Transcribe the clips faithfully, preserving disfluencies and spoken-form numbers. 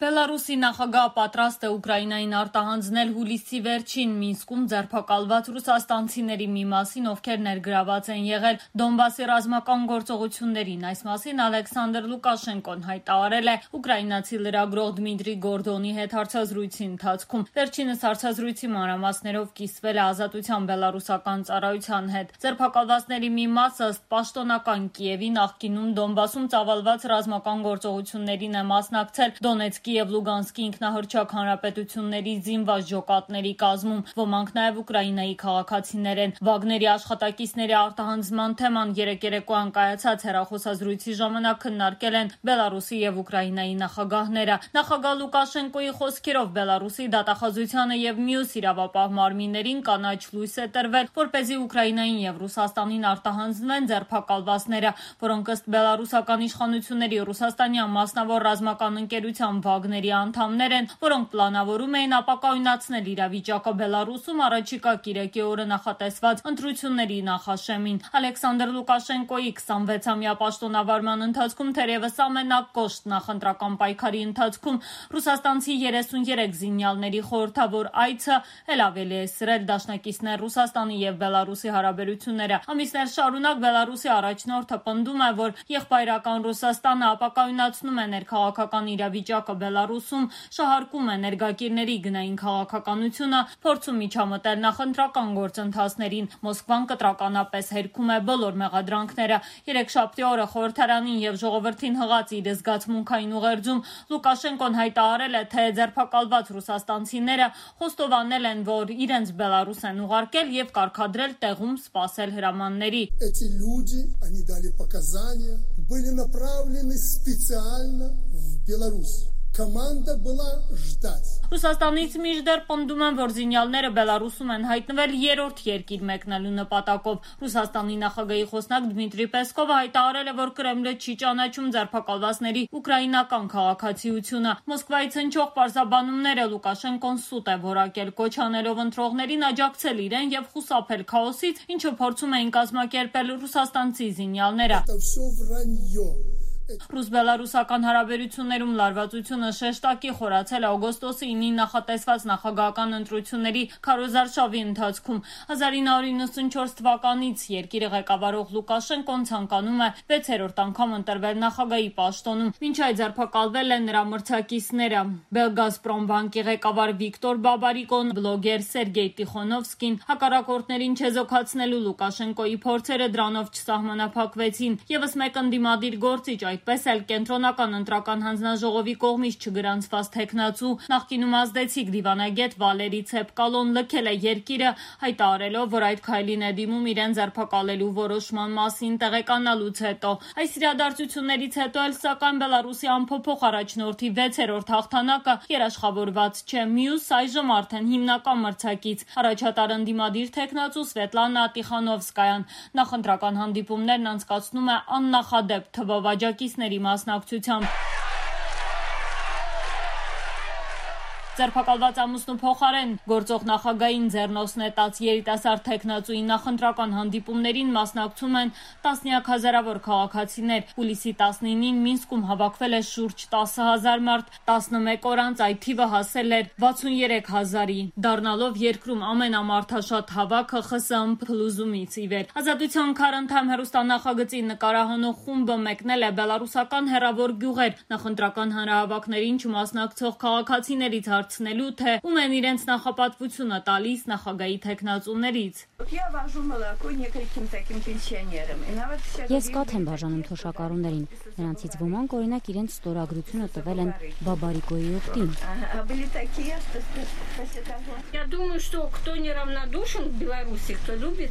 Բելարուսի նախագահ պատրաստ է Ուկրաինային արտահանձնել հուլիսի վերջին Մինսկում ձերբակալված ռուսաստանցիների մի մասին, ովքեր ներգրաված են եղել Դոնբասի ռազմական գործողություններին։ Այս մասին Ալեքսանդր Լուկաշենկոն հայտարարել է ուկրաինացի լրագրող Դմիտրի Գորդոնի հետ հարցազրույցի ընթացքում։ Վերջինս հարցազրույցի մանրամասներով կիսվել է Ազատության բելարուսական ծառայության հետ։ Ձերբակալվածների մի մասը ըստ պաշտոնական Կիևի նախկինում Դոնբասում ծավալված ռազմական գործողություններին է մասնակցել Դոնեցկի և Լուգանսկի ինքնահռչակ հանրապետությունների զինված ջոկատների կազմում, ոմանք նաև Ուկրաինայի քաղաքացիներ են։ Վագների աշխատակիցների արտահանձնման թեման երեկ երեկոյան կայացած հեռախոսազրույցի ժամանակ քննարկել են Բելարուսի և Ուկրաինայի նախագահները։ Նախագահ Լուկաշենկոյի խոսքերով Բելարուսի դատախազությանը և մյուս իրավապահ մարմիններին կանաչ լույս է տրվել, որպեսզի Ուկրաինային և Ռուսաստանին արտահանձնվեն ձերբակալվածները, որոնք ըստ բելարուսական իշխանությունների ռուսաստանյան մասնավոր ռազմական ընկերության Վագների անդամներ են, որոնք պլանավորում էին ապակայունացնել իրավիճակը Բելարուսում առաջիկա կիրակի օրը նախատեսված ընտրությունների նախաշեմին։ Ալեքսանդր Լուկաշենկոյի քսանվեցամյա պաշտոնավարման ընթացքում թերևս ամենակոշտ նախընտրական պայքարի ընթացքում ռուսաստանցի երեսուներեք զինյալների խորհրդավոր այցը էլ ավելի է սրել դաշնակիցներ Ռուսաստանի և Բելարուսի հարաբերությունները։ Ամիսներ շարունակ Բելարուսի առաջնորդը պնդում է, որ եղբայրական Ռուսաստանը ապակայունացնում է ներքաղաքական իրավիճակը Բելարուսում, շահարկում է ներգաղիրների գնային քաղաքականությունը, փորձում միջամտել նախընտրական գործընթացներին։ Մոսկվան կտրականապես հերքում է բոլոր մեղադրանքները։ Երեքշաբթի օրը խորհրդարանին և ժողովրդին հղած իր զգացմունքային ուղերձում Լուկաշենկոն հայտարարել է, թե ձերբակալված ռուսաստանցիները խոստովանել են, որ իրենց Բելարուս են ուղարկել և կարգադրել տեղում սպասել հրամանների։ Эти люди, они дали показания, были направлены специально в Беларусь. Команда была ждать. Ռուսաստանից մինչդեռ պնդում են, որ զինյալները Բելարուսում են հայտնվել երրորդ երկիր մեկնելու նպատակով։ Ռուսաստանի նախագահի խոսնակ Դմիտրի Պեսկովը հայտարարել է, որ Կրեմլը չի ճանաչում ձերբակալվածների ուկրաինական քաղաքացիությունը։ Մոսկվայից հնչող պարզաբանումները Լուկաշենկոն սուտ է որակել, կոչ անելով ընտրողներին աջակցել իրեն և խուսափել քաոսից, ինչը փորձում էին կազմակերպել ռուսաստանցի զինյալները։ Ռուս-բելարուսական հարաբերություններում լարվածությունը շեշտակի խորացել է օգոստոսի ինին նախատեսված նախագահական ընտրությունների քարոզարշավի ընթացքում։ հազար ինը հարյուր իննսունչորս թվականից երկիրը ղեկավարող Լուկաշենկոն ցանկանում է վեցերորդ անգամ ընտրվել նախագահի պաշտոնում։ Մինչ այդ ձերբակալվել են նրա մրցակիցները՝ Բելգազպրոմբանկի ղեկավար Վիկտոր Բաբարիկոն, բլոգեր Սերգեյ Տիխոնովսկին։ Հակառակորդներին չեզոքացնելու Լուկաշենկոյի փորձերը դրանով չսահմանափակվեցին։ Եվս մեկ ընդդիմադիր գործիչ, այդպես էլ կենտրոնական ընտրական հանձնաժողովի կողմից չգրանցված թեկնածու, նախկինում ազդեցիկ դիվանագետ Վալերի Ցեպկալոն լքել է երկիրը, հայտարարելով, որ այդ քայլին է դիմում իրեն ձերբակալելու որոշման մասին տեղեկանալուց հետո։ Այս իրադարձություններից հետո էլ սակայն Բելարուսի անփոփոխ առաջնորդի վեցերորդ հաղթանակը երաշխավորված չէ։ Մյուս այժմ արդեն հիմնական մրցակից առաջատար ընդդիմադիր թեկնածու Սվետլանա Տիխանովսկայան նախընտրական հանդիպումներն անցկացնում է աննախադեպ թվով աջակիցների մասնակցությամբ։ Ձերբակալված ամուսնու փոխարեն գործող նախագահին ձեռնոց նետած երիտասարդ թեկնածուի նախընտրական հանդիպումներին մասնակցում են տասնյակ հազարավոր քաղաքացիներ։ Հուլիսի տասնինին Մինսկում հավաքվել է շուրջ տասը հազար մարդ, տասնմեկ օր անց այդ թիվը հասել էր վաթսուներեք հազարի, դառնալով երկրում ամենամարդաշատ հավաքը ԽՍՀՄ փլուզումից ի վեր։ Ազատության քարընթամ հեռուստանախագծի նկարահանող խումբը մեկնել է բելարուսական հեռավոր գյուղեր, նախընտրական հանրահավաքներին չմասնակցող քաղաքացիներից հարցնելու, թե ում են իրենց նախապատվությունը տալիս նախագահի թեկնածուներից։ Ես կաթ եմ բաժանում թոշակառուներին, նրանցից ոմանք օրինակ իրենց ստորագրությունը տվել են Բաբարիկոյի օգտին։ Я думаю, что кто неравнодушен в Беларуси, кто любит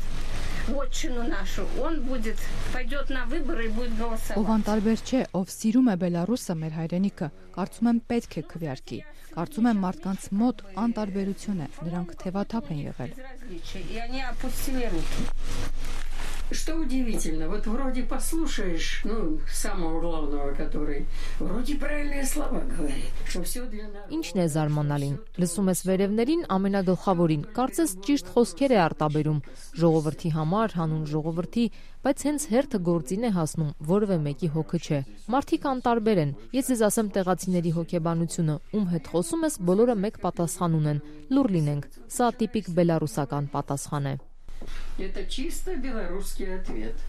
вотчину нашу, он будет пойдет на выборы и будет голосовать. Ով անտարբեր չէ, ով սիրում է Բելարուսը, մեր հայրենիքը, կարծում եմ պետք է քվեարկի։ Կարծում եմ մարդկանց մոտ անտարբերություն է, նրանք թևաթափ են եղել։ Что удивительно, вот вроде послушаешь, ну, самого главного, который вроде правильные слова говорит, что все для нас. Ինչն է զարմանալին։ Լսում ես վերևներին ամենագլխավորին, կարծես ճիշտ խոսքեր է արտաբերում ժողովրդի համար, հանուն ժողովրդի, բայց հենց հերթը գործին է հասնում, որևէ մեկի հոգը չէ։ Մարդիկ անտարբեր են։ Ես ձեզ ասեմ տեղացիների հոգեբանությունը, ում հետ խոսում ես, բոլորը մեկ պատասխան ունեն՝ լուր լինենք։ Սա տիպիկ բելարուսական պատասխան է։ Это чисто белорусский ответ.